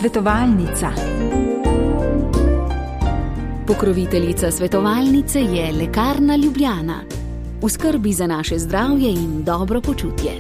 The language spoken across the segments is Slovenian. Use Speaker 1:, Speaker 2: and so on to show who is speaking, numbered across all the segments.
Speaker 1: Svetovalnica.
Speaker 2: Pokroviteljica svetovalnice je Lekarna Ljubljana. V skrbi za naše zdravje in dobro počutje.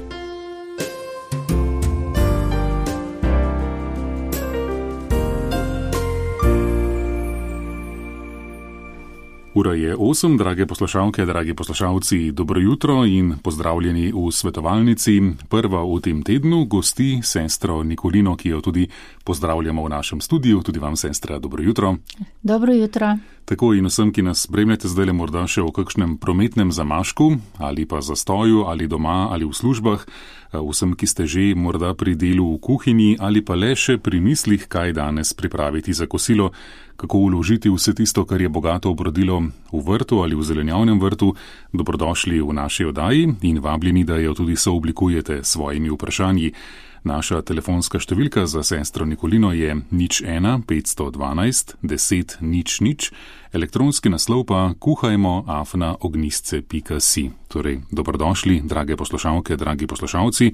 Speaker 3: Ura je 8, drage poslušalke, dragi poslušalci, dobro jutro in pozdravljeni v svetovalnici. Prva v tem tednu gosti sestro Nikolino, ki jo tudi pozdravljamo v našem studiu. Tudi vam, sestra, dobro jutro.
Speaker 4: Dobro jutro.
Speaker 3: Tako in vsem, ki nas spremljate zdaj morda še v kakšnem prometnem zamašku ali pa zastoju ali doma ali v službah, vsem, ki ste že morda pri delu v kuhinji ali pa le še pri mislih, kaj danes pripraviti za kosilo, kako vložiti vse tisto, kar je bogato obrodilo v vrtu ali v zelenjavnem vrtu, dobrodošli v naši oddaji in vabljeni, da jo tudi sooblikujete s svojimi vprašanji. Naša telefonska številka za sestro Nikolino je 01 512 10 00, elektronski naslov pa kuhajmo@ognistce.si. Torej, dobrodošli, drage poslušalke, dragi poslušalci.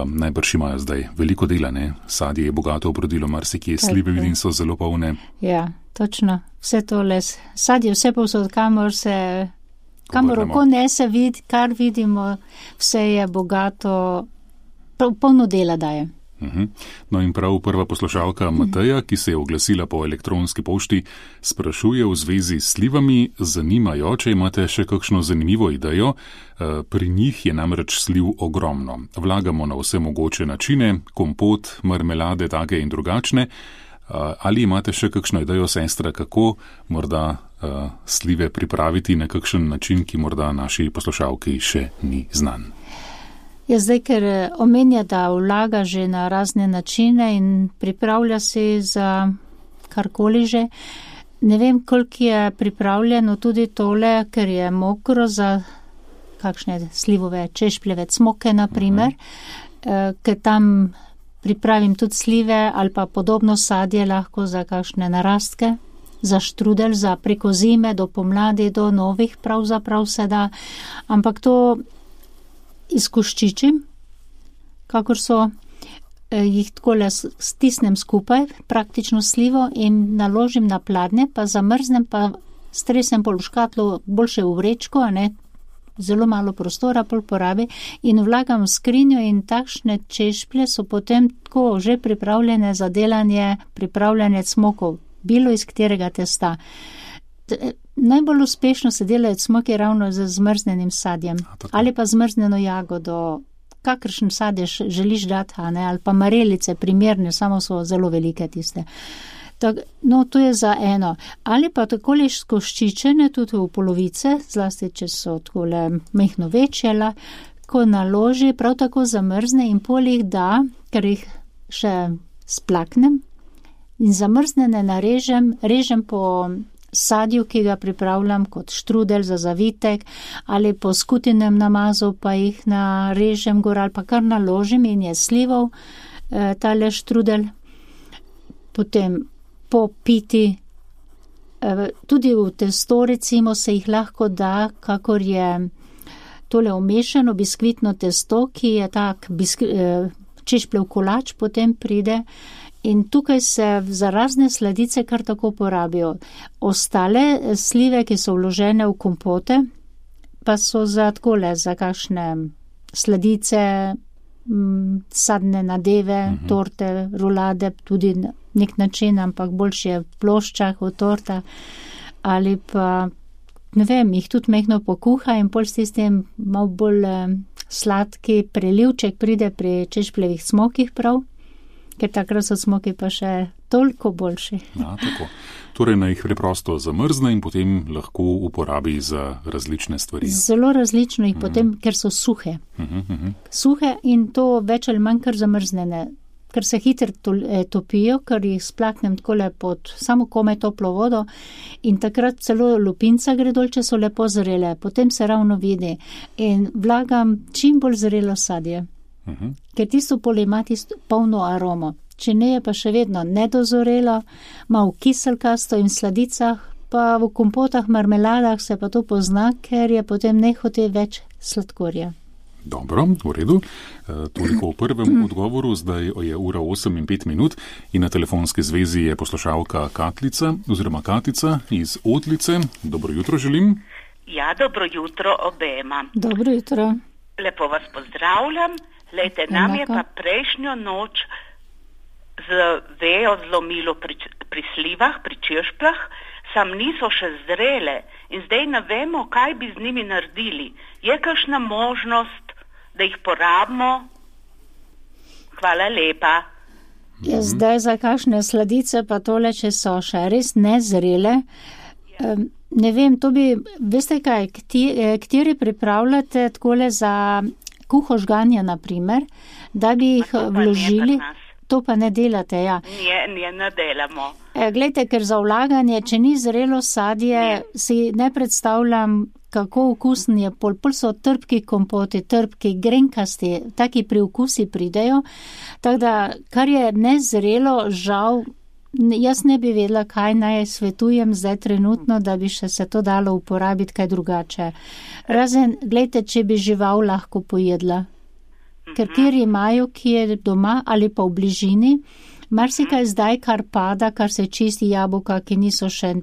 Speaker 3: Najbrž imajo zdaj veliko dela, ne? Sadje je bogato obrodilo, marsikje slive vidim so zelo polne.
Speaker 4: Ja, točno. Vse tole, sadje vse povsod, kamor oko nese vid, kar vidimo, vse je bogato, polno dela daje.
Speaker 3: No in prav prva poslušalka Mateja, ki se je oglasila po elektronski pošti, sprašuje v zvezi s slivami. Zanimajo, če imate še kakšno zanimivo idejo. Pri njih je namreč sliv ogromno. Vlagamo na vse mogoče načine, kompot, marmelade, take in drugačne. Ali imate še kakšno idejo, sestra, kako morda slive pripraviti na kakšen način, ki morda naši poslušalki še ni znan?
Speaker 4: Ja, zdaj, ker omenja, da vlaga že na razne načine in pripravlja se za karkoli že. Ne vem, koliko je pripravljeno tudi tole, ker je mokro za kakšne slivove, češpljeve cmoke, naprimer, ker tam pripravim tudi slive ali pa podobno sadje lahko za kakšne narastke, za štrudel, za preko zime, do pomladi, do novih pravzaprav se da, ampak to izkoščičim, kakor so, jih takole stisnem skupaj, praktično slivo in naložim na pladnje, pa zamrznem, pa stresem pol v škatlo, boljše v vrečko, ne, zelo malo prostora pol porabi in vlagam v skrinjo in takšne češplje so potem tako že pripravljene za delanje, pripravljanje cmokov, bilo iz katerega testa. Najbolj uspešno se delajo cmoki ravno z zmrznenim sadjem ali pa zmrzneno jagodo, kakršen sadež želiš dati, ali pa marelice primerne, samo so zelo velike tiste. No, to je za eno. Ali pa takole skoščičene tudi v polovice, zlasti če so takole mehno večjela, ko naloži, prav tako zamrzne in pol jih da, ker jih še splaknem in zamrznene režem po sadju, ki ga pripravljam kot štrudel za zavitek, ali po skutinem namazu pa jih narežem gor ali pa kar naložim in je slivov tale štrudel. Potem popiti, tudi v testo recimo se jih lahko da, kakor je tole umešano biskvitno testo, ki je tak češpljev kolač, potem pride. In tukaj se za razne sladice kar tako porabijo. Ostale slive, ki so vložene v kompote, pa so za takole, za kakšne sladice, sadne nadeve, torte, rulade, tudi nek način, ampak boljše je v ploščah, v tortah, ali pa, ne vem, jih tudi mehno pokuha in pol s tistim malo bolj sladki prelivček pride pri češpljevih cmokih prav, ker takrat so cmoki pa še toliko boljši.
Speaker 3: Ja, tako. Torej, naj jih preprosto zamrzne in potem lahko uporabi za različne stvari.
Speaker 4: Zelo različno jih potem, ker so suhe. Suhe in to več ali manj kar zamrznene, ker se hitro topijo, ker jih splaknem takole pod samo komaj toplo vodo in takrat celo lupinca gre dol, če so lepo zrele, potem se ravno vidi in vlagam čim bolj zrelo sadje. Ker tisto pol ima tisto polno aromo. Če ne, je pa še vedno nedozorelo, malo kiselkasto in v sladicah, pa v kompotah, marmeladah se pa to pozna, ker je potem nehote več sladkorja.
Speaker 3: Dobro, v redu. Toliko o prvem odgovoru, zdaj je ura 8:05 in na telefonski zvezi je poslušalka Katlica oziroma Katica iz Otlice. Dobro jutro želim.
Speaker 1: Ja, dobro jutro obema.
Speaker 4: Dobro jutro.
Speaker 1: Lepo vas pozdravljam. Lejte, nam je pa prejšnjo noč z vejo zlomilo pri slivah, pri češplah, sam niso še zrele in zdaj ne vemo, kaj bi z njimi naredili. Je kakšna možnost, da jih porabimo? Hvala lepa.
Speaker 4: Ja, zdaj za kakšne sladice pa tole, če so še res nezrele. Ne vem, to bi, veste kaj, kateri pripravljate takole za kuho žganja, na primer, da bi jih vložili. To pa ne delate, ja.
Speaker 1: Ne delamo.
Speaker 4: Glejte, ker za vlaganje, če ni zrelo sadje, si ne predstavljam, kako okusen je pol so trpki kompoti, trpki, grenkasti, taki priokusi pridejo. Tako da, kar je nezrelo, žal, jaz ne bi vedela, kaj naj svetujem zdaj trenutno, da bi še se to dalo uporabiti kaj drugače. Razen, glejte, če bi žival lahko pojedla. Ker kjer imajo, ki je doma ali pa v bližini, marsikaj zdaj, kar pada, kar se čisti jabolka, ki niso še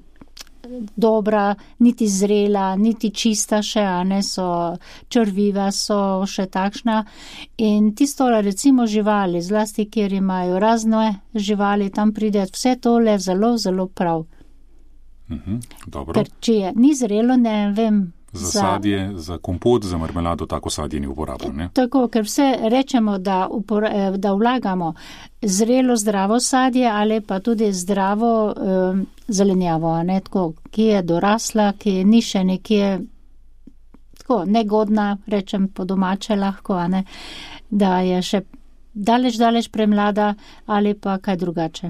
Speaker 4: dobra, niti zrela, niti čista še, a ne so črviva, so še takšna. In tisto, recimo živali, zlasti, kjer imajo razne živali, tam pride vse tole zelo, zelo prav.
Speaker 3: Dobro.
Speaker 4: Ker če je ni zrelo, ne vem.
Speaker 3: Za sadje, za kompot, za marmelado, tako sadje ni uporabno, ne?
Speaker 4: Tako, ker vse rečemo, da vlagamo zrelo, zdravo sadje ali pa tudi zdravo zelenjavo, ne, tako, ki je dorasla, ki ni še nekje tako negodna, rečem po domače lahko, a ne, da je še daleč premlada ali pa kaj drugače.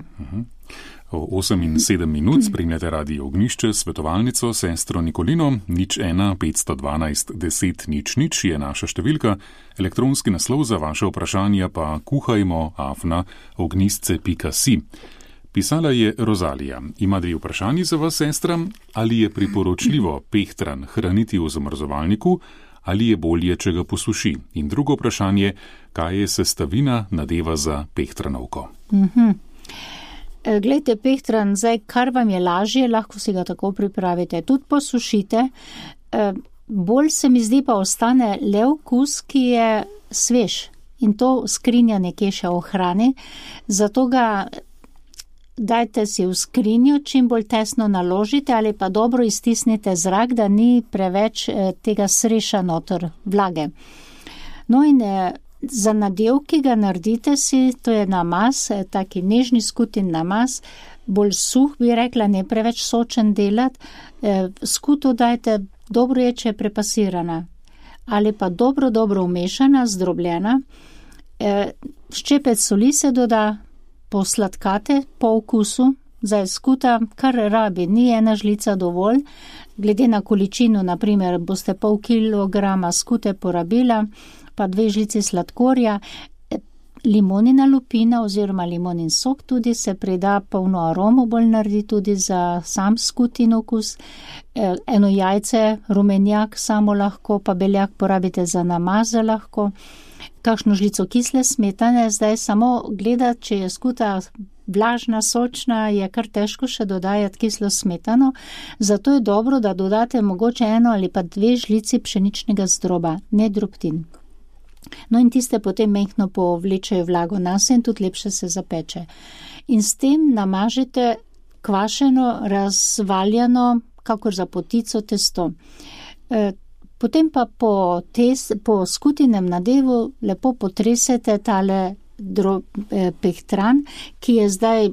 Speaker 3: 8:07 spremljate Radio Ognjišče, svetovalnico, sestro Nikolino, 01 512 10 00 je naša številka, elektronski naslov za vaše vprašanja pa kuhajmo@ognjisce.si. Pisala je Rozalija. Ima 2 vprašanji za vas, sestra. Ali je priporočljivo pehtran hraniti v zamrzovalniku ali je bolje, če ga posuši? In drugo vprašanje, kaj je sestavina nadeva za pehtranovko?
Speaker 4: Glejte, pehtran, zdaj, kar vam je lažje, lahko si ga tako pripravite. Tudi posušite. Bolj se mi zdi pa ostane le okus, ki je svež. In to skrinja nekje še ohrani. Zato ga dajte si v skrinjo, čim bolj tesno naložite ali pa dobro iztisnite zrak, da ni preveč tega sreša noter vlage. No in za nadev, ki ga naredite si, to je namaz, taki nežni skutin namaz, bolj suh bi rekla, ne preveč sočen delati. Skuto dajte, dobro je, če je prepasirana ali pa dobro umešana, zdrobljena. Ščepec soli se doda, posladkate po okusu, zdaj skuta, kar rabi, ni 1 žlica dovolj, glede na količino, naprimer, boste pol kilograma skute porabila, pa 2 žlici sladkorja, limonina lupina oziroma limonin sok tudi se prida, polno aromo bolj naredi tudi za sam skutin okus, 1 jajce, rumenjak samo lahko, pa beljak porabite za namaze lahko, kakšno žlico kisle smetane, zdaj samo gledati, če je skuta vlažna, sočna, je kar težko še dodajati kislo smetano, zato je dobro, da dodate mogoče 1 ali pa 2 žlici pšeničnega zdroba, ne drobtin. No in tiste potem mehko povlečejo vlago nase in tudi lepše se zapeče. In s tem namažete kvašeno, razvaljano, kakor za potico testo. Potem pa po skutinem nadevu lepo potresete tale pehtran, ki je zdaj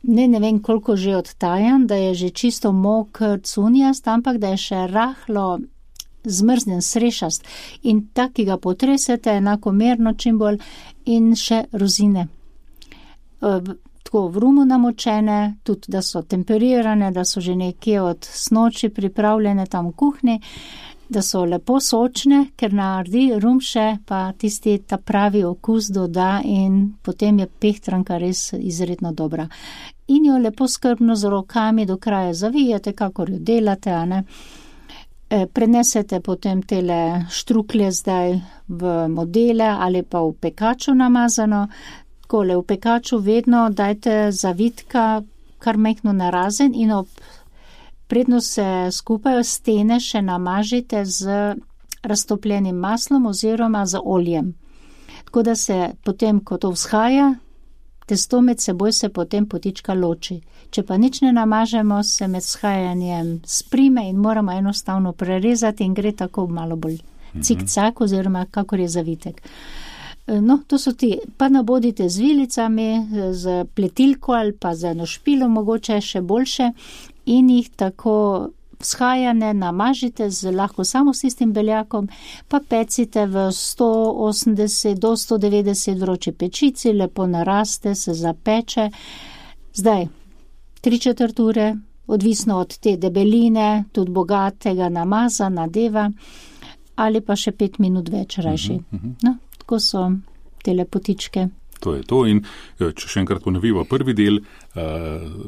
Speaker 4: ne vem koliko že odtajan, da je že čisto mokr cunjast, ampak da je še rahlo zmrznen, srešast. In tak, ki ga potresete enakomerno čim bolj, in še rozine. Tako v rumu namočene, tudi da so temperirane, da so že nekje od snoči pripravljene tam v kuhni, da so lepo sočne, ker naredi rum še, pa tisti ta pravi okus doda in potem je pehtranka res izredno dobra. In jo lepo skrbno z rokami do kraja zavijete, kakor jo delate, a ne. Prenesete potem tele štruklje zdaj v modele ali pa v pekaču namazano. Takole, v pekaču vedno dajte zavitka kar mehno narazen in predno se skupaj stene še namažite z raztopljenim maslom oziroma z oljem. Tako da se potem, ko to vzhaja, testo med seboj se potem potička loči. Če pa nič ne namažemo, se med vzhajanjem sprime in moramo enostavno prerezati in gre tako malo bolj cik-cak oziroma kakor je zavitek. No, to so ti, pa nabodite z vilicami, z pletilko ali pa z eno špilo, mogoče še boljše in jih tako vzhajane namažite lahko samo s tistim beljakom, pa pecite v 180 do 190 vroči pečici, lepo naraste, se zapeče. Zdaj, 3/4 ure, odvisno od te debeline, tudi bogatega namaza, nadeva, ali pa še 5 minut več rajši. No, tako so te lepotičke.
Speaker 3: To je to in če še enkrat ponoviva prvi del,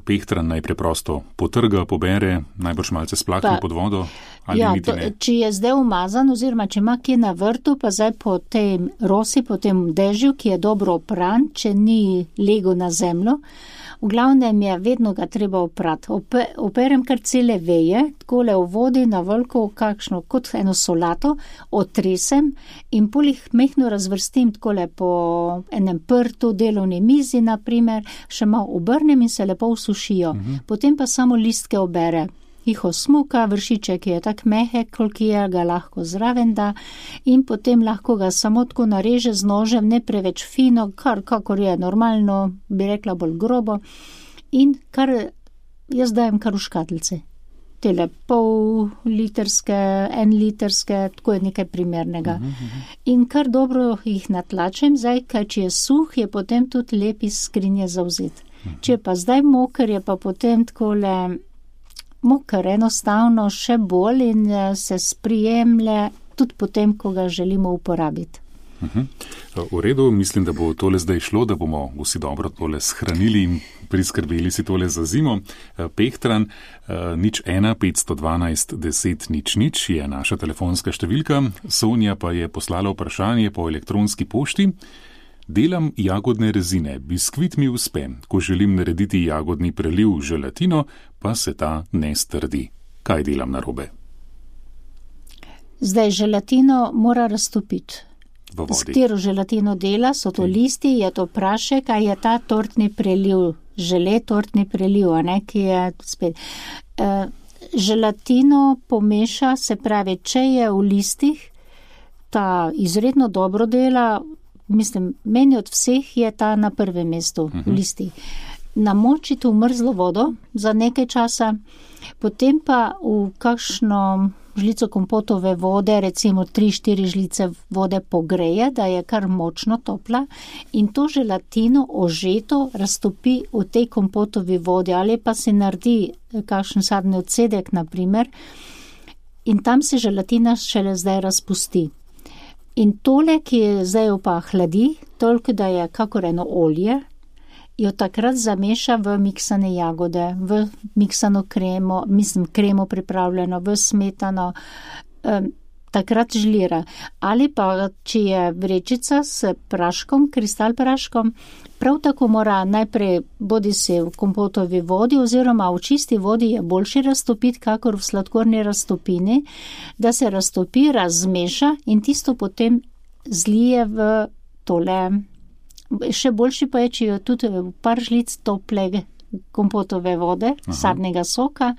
Speaker 3: pehtran naj preprosto potrga, pobere, najbrž malce splakne pod vodo ali niti ne.
Speaker 4: Če je zdaj umazan oziroma če ima kje na vrtu, pa zdaj po tej rosi, po tem dežju, ki je dobro opran, če ni lego na zemljo, v glavnem je vedno ga treba oprati. Operem kar cele veje, takole v vodi na veliko, kakšno, kot eno solato, otresem in pol jih mehno razvrstim takole po enem prtu, delovni mizi, naprimer, še malo obrnem in se lepo usušijo. Potem pa samo listke obere. Jih osmuka, vršiček je tak mehek, koliko je, ga lahko zraven da in potem lahko ga samo tako nareže z nožem, ne preveč fino, kakor je normalno, bi rekla bolj grobo in kar jaz dajem kar v škatlice. Tele pol litrske, 1 litrske, tako je nekaj primernega. In kar dobro jih natlačem, zdaj, kaj če je suh, je potem tudi lep iz skrinje zauzet. Če pa zdaj moker, je pa potem takole moker enostavno še bolj in se sprijemlje tudi potem, ko ga želimo uporabiti.
Speaker 3: V redu, mislim, da bo tole zdaj šlo, da bomo vsi dobro tole shranili in priskrbeli si tole za zimo. Pehtran 01 512 10 00 je naša telefonska številka. Sonja pa je poslala vprašanje po elektronski pošti. Delam jagodne rezine, biskvit mi uspe, ko želim narediti jagodni preliv želatino, pa se ta ne strdi. Kaj delam narobe?
Speaker 4: Zdaj, želatino mora raztopiti.
Speaker 3: V vodi.
Speaker 4: S katero želatino dela, so to listi, je to prašek, a je ta tortni preliv, žele tortni preliv, a ne, ki je spet. Želatino pomeša, se pravi, če je v listih, ta izredno dobro dela. Mislim, meni od vseh je ta na prvem mestu v listi. Namočite v mrzlo vodo za nekaj časa, potem pa v kakšno žlico kompotove vode, recimo 3-4 žlice vode pogreje, da je kar močno topla in to želatino ožeto raztopi v tej kompotovi vodi ali pa se naredi kakšen sadni odcedek, naprimer, in tam se želatina šele zdaj razpusti. In tole, ki je zdaj pa hladi, toliko, da je kakor eno olje, jo takrat zameša v miksane jagode, v miksano kremo, kremo pripravljeno, v smetano, takrat žlira. Ali pa, če je vrečica s praškom, kristal praškom, prav tako mora najprej bodi se v kompotovi vodi oziroma v čisti vodi je boljše raztopiti, kakor v sladkorni raztopini, da se raztopi, razmeša in tisto potem zlije v tole. Še boljši pa je, če jo tudi par žlic tople kompotove vode, sadnega soka,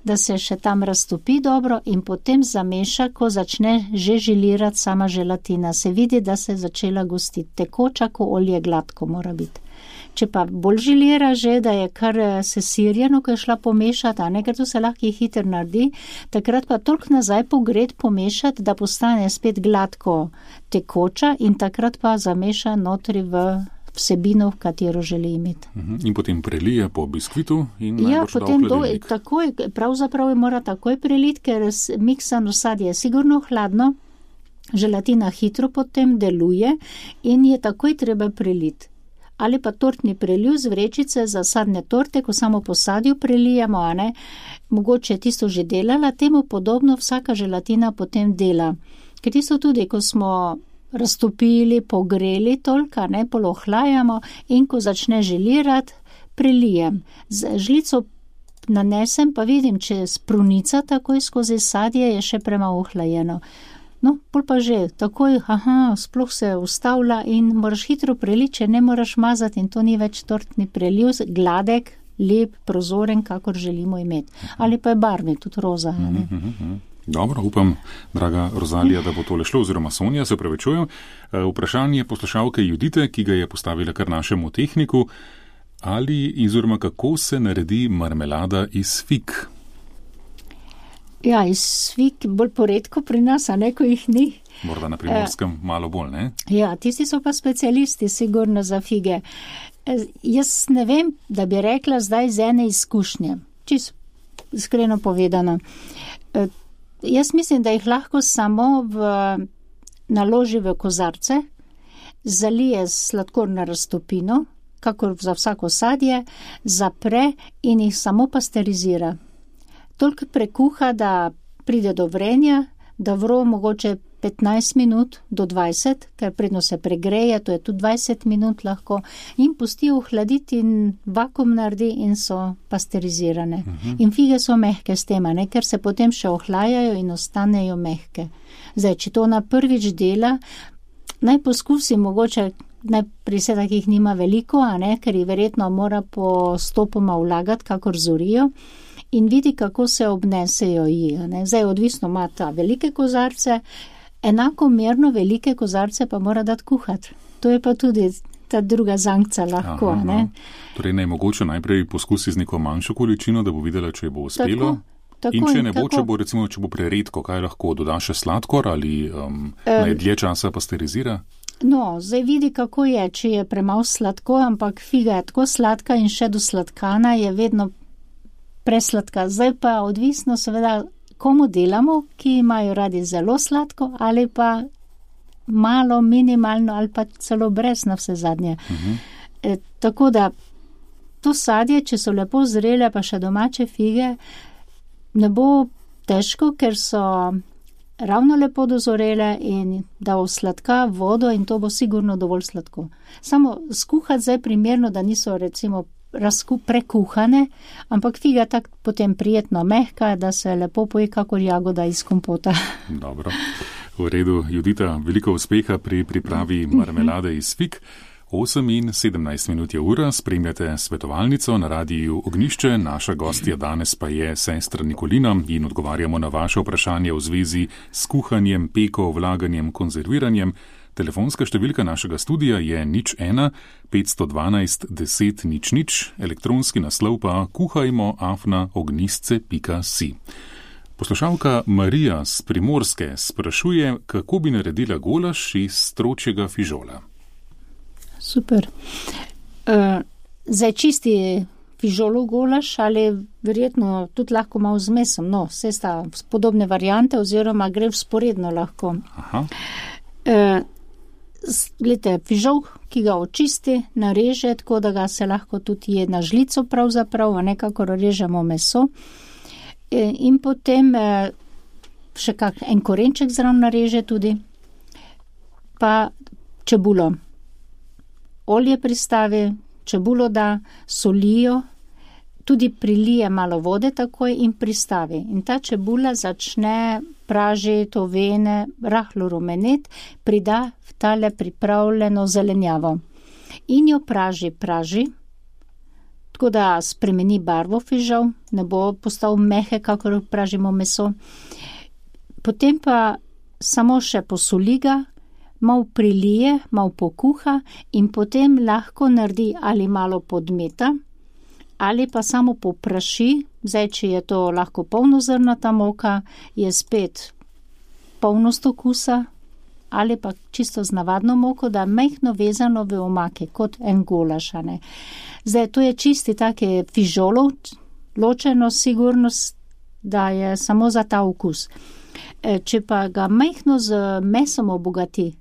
Speaker 4: da se še tam raztopi dobro in potem zameša, ko začne že želirati sama želatina. Se vidi, da se je začela gostiti. Tekoča, ko olje gladko mora biti. Če pa bolj želira že, da je kar sesirjeno, ko je šla pomešati, a ne, ker to se lahko hitro naredi, takrat pa toliko nazaj pogret pomešati, da postane spet gladko tekoča in takrat pa zameša notri v vsebino, v katero želi imeti.
Speaker 3: In potem prelije po biskvitu in
Speaker 4: ja, potem takoj, pravzaprav mora takoj preliti, ker miksano sadje je sigurno hladno, želatina hitro potem deluje in je takoj treba preliti. ali pa tortni preliv z vrečice za sadne torte, ko samo po sadju prelijemo, a ne, mogoče tisto že delala, temu podobno vsaka želatina potem dela. Ker tisto tudi, ko smo raztopili, pogreli toliko, ne, polohlajamo in ko začne želirati, prelijem. Z žlico nanesem, pa vidim, če sprunica takoj skozi sadje je še premalo ohlajeno. No, pol pa že, takoj, sploh se ustavlja in moraš hitro preliti, če ne moraš mazati in to ni več tortni preliv, gladek, lep, prozoren, kakor želimo imeti. Ali pa je barvni, tudi roza.
Speaker 3: Dobro, upam, draga Rozalija, da bo tole šlo, oziroma Sonja, se opravičujem. Vprašanje poslušalke Judite, ki ga je postavila kar našemu tehniku, ali oziroma kako se naredi marmelada iz fig?
Speaker 4: Ja, iz fig bolj poredko pri nas, a ne, ko jih ni.
Speaker 3: Morda na Primorskem malo bolj, ne?
Speaker 4: Ja, tisti so pa specialisti, sigurno za fige. Jaz ne vem, da bi rekla zdaj z ene izkušnje, čisto iskreno povedano. Jaz mislim, da jih lahko samo naloži v kozarce, zalije sladkorno raztopino, kakor za vsako sadje, zapre in jih samo pasterizira. Toliko prekuha, da pride do vrenja, da vro mogoče 15 minut do 20, ker predno se pregreje, to je tudi 20 minut lahko, in pusti ohladiti in vakuum naredi in so pasterizirane. In fige so mehke s tem, ne, ker se potem še ohlajajo in ostanejo mehke. Zdaj, če to na prvič dela, naj poskusi mogoče, pri se takih nima veliko, a ne, ker jih verjetno mora postopoma vlagati, kakor zorijo, in vidi, kako se obnesejo ji. Zdaj, odvisno ima ta velike kozarce, enakomerno velike kozarce pa mora dati kuhati. To je pa tudi ta druga zankca lahko. Ne?
Speaker 3: Torej, mogoče najprej poskusi z neko manjšo količino, da bo videla, če bo uspelo.
Speaker 4: Tako,
Speaker 3: in če ne bo, če bo preredko, kaj lahko doda še sladkor ali naj dlje časa pasterizira?
Speaker 4: No, zdaj vidi, kako je, če je premalo sladko, ampak figa je tako sladka in še do sladkana je vedno presladka. Zdaj pa odvisno seveda, komu delamo, ki imajo radi zelo sladko ali pa malo, minimalno ali pa celo brez na vse zadnje. Tako da to sadje, če so lepo zrele, pa še domače fige, ne bo težko, ker so ravno lepo dozorele in da osladka vodo in to bo sigurno dovolj sladko. Samo skuhati zdaj primerno, da niso recimo prekuhane, ampak figa tako potem prijetno mehka, da se lepo poje kakor jagoda iz kompota.
Speaker 3: Dobro, v redu, Judita, veliko uspeha pri pripravi marmelade iz fig. 8:17 minut je ura, spremljate svetovalnico na radiju Ognjišče, naša gostja danes pa je sestra Nikolina in odgovarjamo na vaše vprašanje v zvezi s kuhanjem, peko, vlaganjem, konzerviranjem. Telefonska številka našega studija je 01 512 10 00, elektronski naslov pa kuhajmo@ognjisce.si. Poslušalka Marija z Primorske sprašuje, kako bi naredila golaž iz stročjega fižola.
Speaker 4: Super. Zdaj čisti fižolov golaž ali verjetno tudi lahko malo z mesom, no, vse sta podobne variante oziroma gre vzporedno lahko. Glejte, fižol, ki ga očisti, nareže, tako da ga se lahko tudi je na žlico pravzaprav, a nekako režemo meso. In potem še en korenček zraven nareže tudi, pa čebulo. Olje pristavi, čebulo da, solijo, tudi prilije malo vode takoj in pristavi. In ta čebula začne pražiti, ovene, rahlo rumenet, prida v tale pripravljeno zelenjavo. In jo praži, tako da spremeni barvo fižol, ne bo postal mehek, kakor pražimo meso. Potem pa samo še posoli ga, malo prilije, malo pokuha in potem lahko naredi ali malo podmeta, ali pa samo popraši. Zdaj, če je to lahko polnozrnata moka, je spet polnost okusa, ali pa čisto z navadno moko, da mehno vezano v omake, kot en golaž. Zdaj, to je čisti take fižolov, ločeno sigurnost, da je samo za ta okus. Če pa ga mehno z mesom obogati,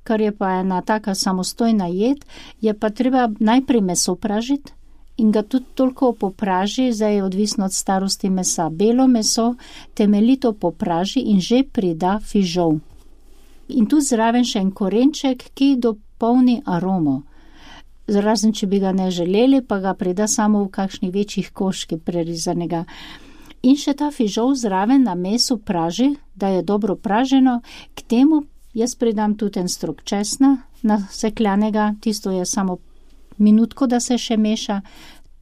Speaker 4: kar je pa ena taka samostojna jed, je pa treba najprej meso pražiti in ga tudi toliko popraži, zdaj je odvisno od starosti mesa. Belo meso temeljito popraži in že prida fižol. In tudi zraven še en korenček, ki dopolni aromo. Razen, če bi ga ne želeli, pa ga prida samo v kakšnih večjih koških prerezanega. In še ta fižol zraven na mesu praži, da je dobro praženo. K temu jaz pridam tudi en strok česna nasekljanega, tisto je samo minutko, da se še meša,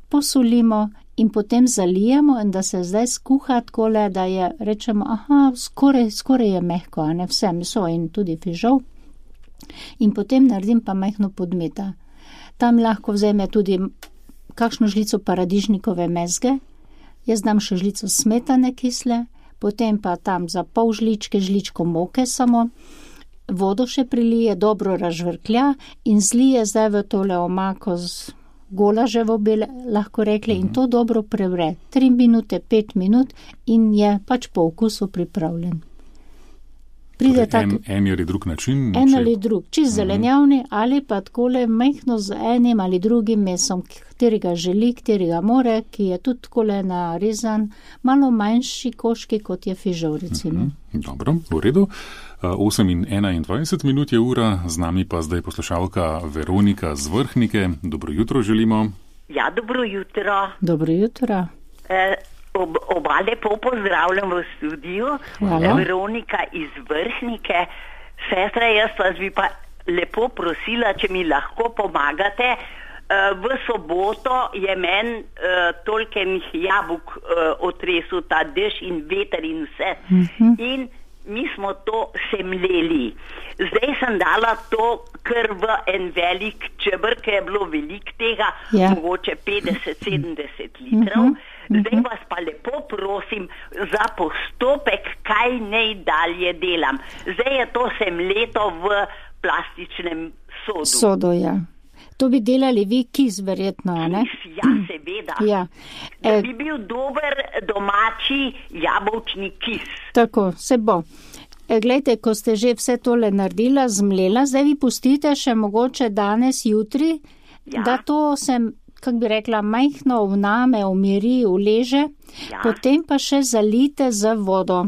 Speaker 4: posolimo in potem zalijemo in da se zdaj skuha takole, da je, rečemo, skoraj je mehko, a ne vse meso in tudi fižol. In potem naredim pa majhno podmeta. Tam lahko vzame tudi kakšno žlico paradižnikove mezge, jaz dam še žlico smetane kisle, potem pa tam za pol žličko moke samo, vodo še prilije, dobro razžvrklja in zlije zdaj v tole omako z golaževo bi lahko rekli in to dobro prevre. 3 minute, 5 minut in je pač po okusu pripravljen. Pride
Speaker 3: en ali drug način?
Speaker 4: En ali drug, čist zelenjavni ali pa takole majhno z enim ali drugim mesom, katerega želi, katerega more, ki je tudi takole narezan, malo manjši koški, kot je fižol, recimo.
Speaker 3: Dobro, v redu. 8:21 minut je ura, z nami pa zdaj poslušalka Veronika z Vrhnike. Dobro jutro želimo.
Speaker 1: Ja, dobro jutro.
Speaker 4: Dobro jutro.
Speaker 1: Oba lepo pozdravljam v studiu.
Speaker 4: Hvala.
Speaker 1: Veronika iz Vrhnike. Sestra, jaz vas bi pa lepo prosila, če mi lahko pomagate. V soboto je meni toliko enih jabolk otresel ta dež in veter in vse. In mi smo to semljeli. Zdaj sem dala to kar v en velik čebr, ker je bilo veliko tega, mogoče 50-70 litrov. Zdaj vas pa lepo prosim za postopek, kaj naj dalje delam. Zdaj je to semljeto v plastičnem sodu.
Speaker 4: Sodo, ja. To bi delali vi kis, verjetno, ne?
Speaker 1: Ja, seveda.
Speaker 4: Ja.
Speaker 1: Da bi bil dober domači jabolčni kis.
Speaker 4: Tako, se bo. Glejte, ko ste že vse tole naredila, zmlela, zdaj vi pustite še mogoče danes, jutri, da to se, kak bi rekla, majhno vname, umiri, uleže, potem pa še zalite z vodo.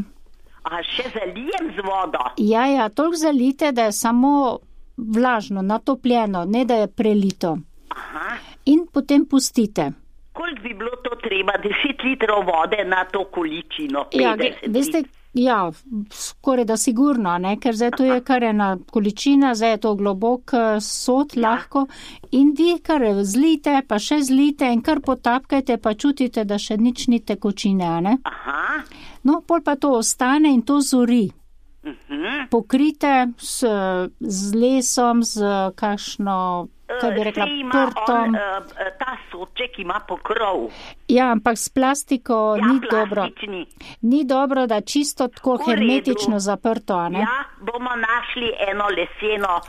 Speaker 1: A še zalijem z vodo?
Speaker 4: Ja, toliko zalite, da je samo vlažno, natopljeno, ne da je prelito.
Speaker 1: Aha.
Speaker 4: In potem pustite.
Speaker 1: Koliko bi bilo to treba? 10 litrov vode na to količino? 50
Speaker 4: veste, skoraj da sigurno, ne? Ker zdaj to je kar ena količina, zdaj je to globok sod lahko in vi kar zlite, pa še zlite in kar potapkajte, pa čutite, da še nič ni tekočine, ne?
Speaker 1: Aha.
Speaker 4: No, pol pa to ostane in to zori. Pokrite z lesom, z kakšno, kaj bi rekla, prtom.
Speaker 1: Ta soček ima pokrov.
Speaker 4: Ja, ampak s plastiko ni dobro. Ni dobro, da čisto tako hermetično zaprto, ne?
Speaker 1: Ja, bomo našli eno leseno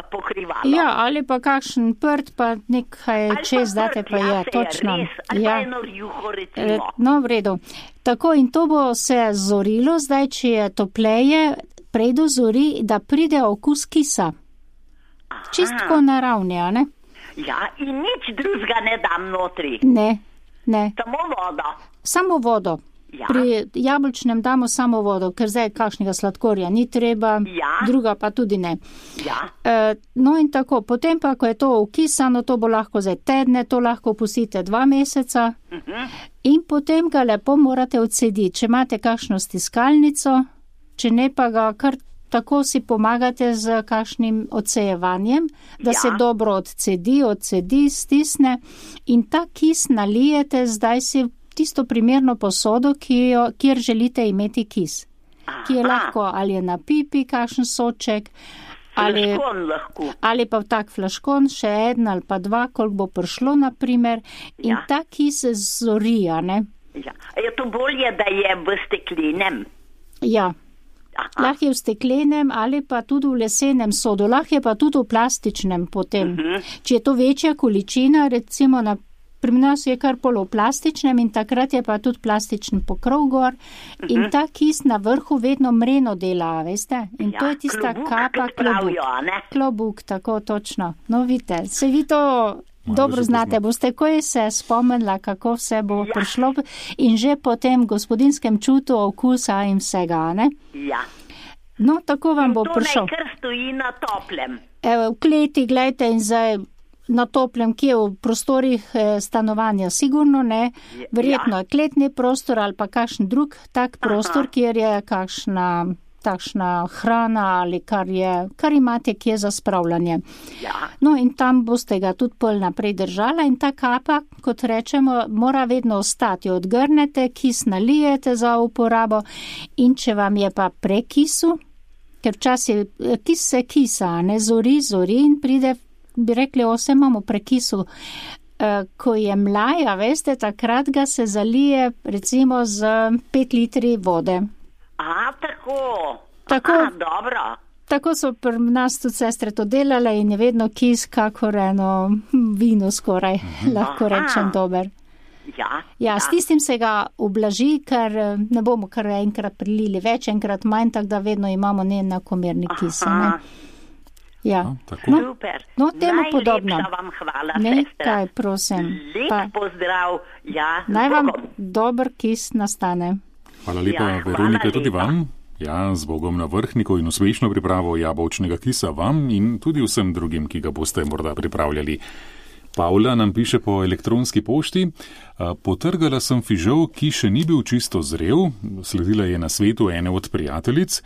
Speaker 1: pokrivalo.
Speaker 4: Ja, ali pa kakšen prt, pa nekaj čez date pa je, točno.
Speaker 1: Ali pa eno rjuho, recimo.
Speaker 4: No, v redu. Tako in to bo se zorilo, zdaj, če je topleje, prej dozori, da pride okus kisa. Čistko naravni, a ne?
Speaker 1: Ja, in nič drugega ne dam notri.
Speaker 4: Ne.
Speaker 1: Samo vodo.
Speaker 4: Samo vodo. Ja. Pri jabolčnem damo samo vodo, ker zdaj kakšnega sladkorja ni treba, druga pa tudi ne.
Speaker 1: Ja.
Speaker 4: No in tako, potem pa, ko je to ukisano, to bo lahko zdaj tedne, to lahko pustite 2 meseca in potem ga lepo morate odcediti. Če imate kakšno stiskalnico, če ne pa ga kar tako si pomagate z kakšnim odsejevanjem, da se dobro odcedi, stisne in ta kis nalijete zdaj si tisto primerno posodo, kjer želite imeti kis. Ki je lahko, ali je na pipi kakšen soček, ali pa v tak flaškon, še 1 ali pa 2, koliko bo prišlo, naprimer, in ta kis zori, ne?
Speaker 1: Ja. Je to bolje, da je v steklenem?
Speaker 4: Ja. Lahko je v steklenem ali pa tudi v lesenem sodu, lahko je pa tudi v plastičnem potem. Če je to večja količina, recimo na pri nas je kar poloplastičnem in takrat je pa tudi plastičen pokrov gor in ta kis na vrhu vedno mreno dela, veste? In to je tista kapa klobuk, tako točno. No, vidite, se vi to dobro znate, boste takoj se spomnila, kako vse bo prišlo in že po tem gospodinskem čutu okusa in vsega, ne?
Speaker 5: Ja.
Speaker 4: No, tako vam bo prišel.
Speaker 5: To naj kar stoji na toplem.
Speaker 4: Evo, v kleti, gledajte, in zdaj na toplem, kje v prostorih stanovanja, sigurno ne, verjetno je kletni prostor ali pa kakšen drug tak prostor, kjer je takšna hrana ali kar imate kje za spravljanje.
Speaker 5: Ja.
Speaker 4: No in tam boste ga tudi pol naprej držala in ta kapa, kot rečemo, mora vedno ostati. Odgrnete, kis nalijete za uporabo in če vam je pa prekisu, ker včasih kis se kisa, ne zori in pride, bi rekli, imamo prekisu. Ko je mlaj, a veste, takrat ga se zalije recimo z 5 litri vode.
Speaker 5: Tako. Dobro.
Speaker 4: Tako so pri nas tudi sestre to delale in je vedno kis kakor eno vino skoraj, lahko rečem dober. Ja, s tistim se ga ublaži, ker ne bomo kar enkrat prilili več, enkrat manj, tako da vedno imamo neenakomerni kis. Ne? Ja.
Speaker 5: Super.
Speaker 4: No, temu podobno.
Speaker 5: Najlepša vam hvala,
Speaker 4: sestra. Nekaj, prosim.
Speaker 5: Lep pozdrav. Ja,
Speaker 4: naj vam dober kis nastane.
Speaker 3: Hvala lepa, Veronika, tudi vam. Ja, z Bogom na vrhniku in uspešno pripravo jabolčnega kisa vam in tudi vsem drugim, ki ga boste morda pripravljali. Pavla nam piše po elektronski pošti. Potrgala sem fižol, ki še ni bil čisto zrel, sledila je na svetu ene od prijateljic,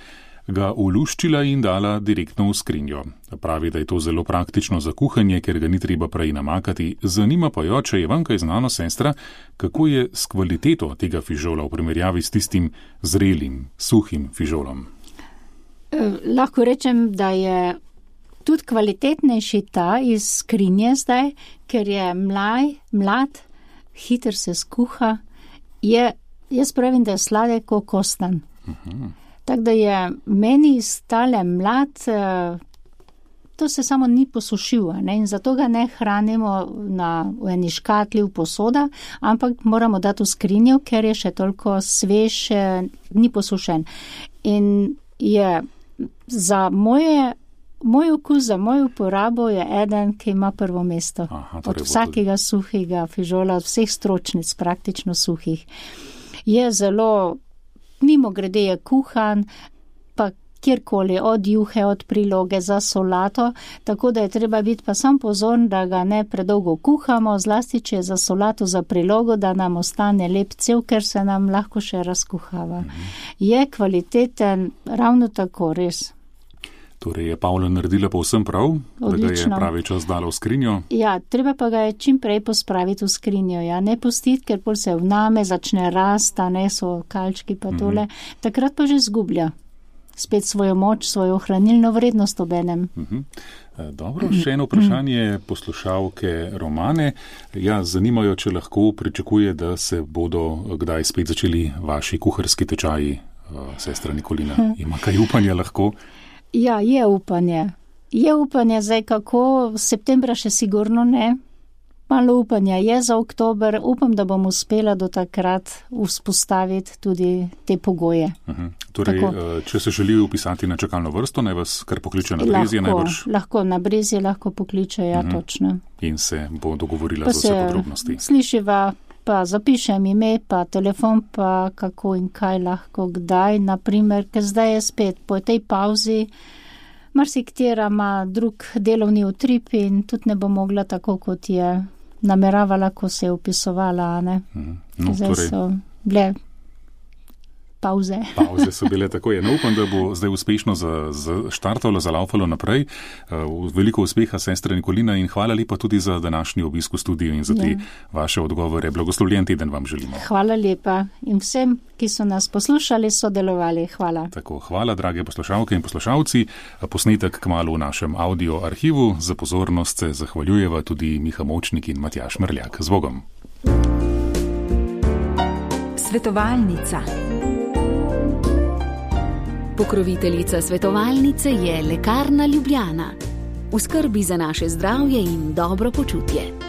Speaker 3: ga uluščila in dala direktno v skrinjo. Pravi, da je to zelo praktično za kuhanje, ker ga ni treba prej namakati. Zanima pa jo, če je vam kaj znano, sestra, kako je s kvaliteto tega fižola v primerjavi s tistim zrelim, suhim fižolom.
Speaker 4: Lahko rečem, da je tudi kvalitetnejši ta iz skrinje zdaj, ker je mlad, hiter se skuha, jaz pravim, da je sladek kot kostan. Tako da je meni stale mlad, to se samo ni posušil, ne? In zato ga ne hranimo v eni škatli, v posoda, ampak moramo dati v skrinjo, ker je še toliko svež, ni posušen. In je za moj okus, za mojo uporabo je eden, ki ima prvo mesto. Od vsakega suhega fižola, od vseh stročnic, praktično suhih. Je zelo, mimo grede je kuhan, pa kjerkoli, od juhe, od priloge za solato, tako da je treba biti pa sam pozorn, da ga ne predolgo kuhamo, zlasti če je za solato, za prilogo, da nam ostane lep cel, ker se nam lahko še razkuhava. Je kvaliteten, ravno tako, res.
Speaker 3: Torej je Pavla naredila povsem prav,
Speaker 4: odlično.
Speaker 3: Da ga je pravi čas dala v skrinjo.
Speaker 4: Ja, treba pa ga je čim prej pospraviti v skrinjo, ja, ne pustiti, ker pol se vname, začne rasta, ne so kalčki pa tole, takrat pa že zgublja spet svojo moč, svojo hranilno vrednost obenem.
Speaker 3: Dobro, še eno vprašanje poslušalke Romane. Ja, zanimajo, če lahko pričakuje, da se bodo kdaj spet začeli vaši kuharski tečaji, sestra Nikolina. Ima kaj upanja lahko?
Speaker 4: Ja, je upanje. Je upanje zdaj kako, septembra še sigurno ne. Malo upanja je za oktober. Upam, da bom uspela do takrat vzpostaviti tudi te pogoje.
Speaker 3: Torej, če se želijo upisati na čakalno vrsto, naj vas kar pokliče na Brezje najbrž?
Speaker 4: Lahko, na Brezje lahko pokliče, ja, točno.
Speaker 3: In se bo dogovorila za vse podrobnosti.
Speaker 4: Slišiva, pa zapišem ime, pa telefon, pa kako in kaj lahko, kdaj, naprimer, ker zdaj je spet po tej pauzi, marsikatera ima drug delovni utrip in tudi ne bo mogla tako, kot je nameravala, ko se je upisovala, ne? Zdaj so bile pauze.
Speaker 3: Pauze so bile tako, no, upam, da bo zdaj uspešno štartalo, zalaufalo naprej. Veliko uspeha, sestra Nikolina, in hvala lepa tudi za današnji obisk v studiu in za te vaše odgovore. Blagoslovljen teden vam želimo.
Speaker 4: Hvala lepa in vsem, ki so nas poslušali, sodelovali. Hvala.
Speaker 3: Tako, hvala, drage poslušalke in poslušalci. Posnetek kmalu v našem audio arhivu. Za pozornost se zahvaljujeva tudi Miha Močnik in Matjaž Mrljak. Z Bogom.
Speaker 2: Svetovalnica. Pokroviteljica svetovalnice je Lekarna Ljubljana. V skrbi za naše zdravje in dobro počutje.